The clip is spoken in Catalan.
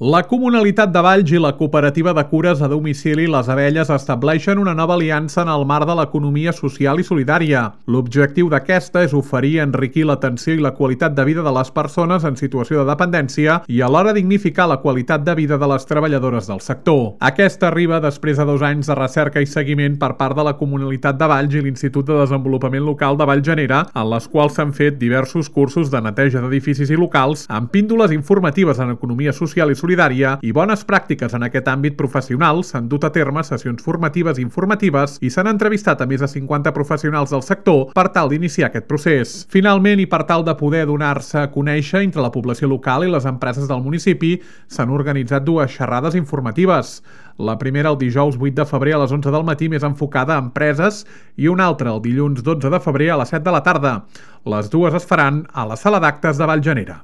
La Comunalitat de Valls i la Cooperativa de Cures a Domicili Les Abelles estableixen una nova aliança en el marc de l'economia social i solidària. L'objectiu d'aquesta és oferir i enriquir l'atenció i la qualitat de vida de les persones en situació de dependència i alhora dignificar la qualitat de vida de les treballadores del sector. Aquesta arriba després de 2 anys de recerca i seguiment per part de la Comunalitat de Valls i l'Institut de Desenvolupament Local de Vallgenera, en les quals s'han fet diversos cursos de neteja d'edificis i locals, amb píndoles informatives en economia social i solidària i bones pràctiques en aquest àmbit professional. S'han dut a terme sessions formatives i informatives i s'han entrevistat a més de 50 professionals del sector per tal d'iniciar aquest procés. Finalment, i per tal de poder donar-se a conèixer entre la població local i les empreses del municipi, s'han organitzat 2 xerrades informatives. La primera el dijous 8 de febrer a les 11 del matí, més enfocada a empreses, i una altra el dilluns 12 de febrer a les 7 de la tarda. Les dues es faran a la Sala d'Actes de Vallgenera.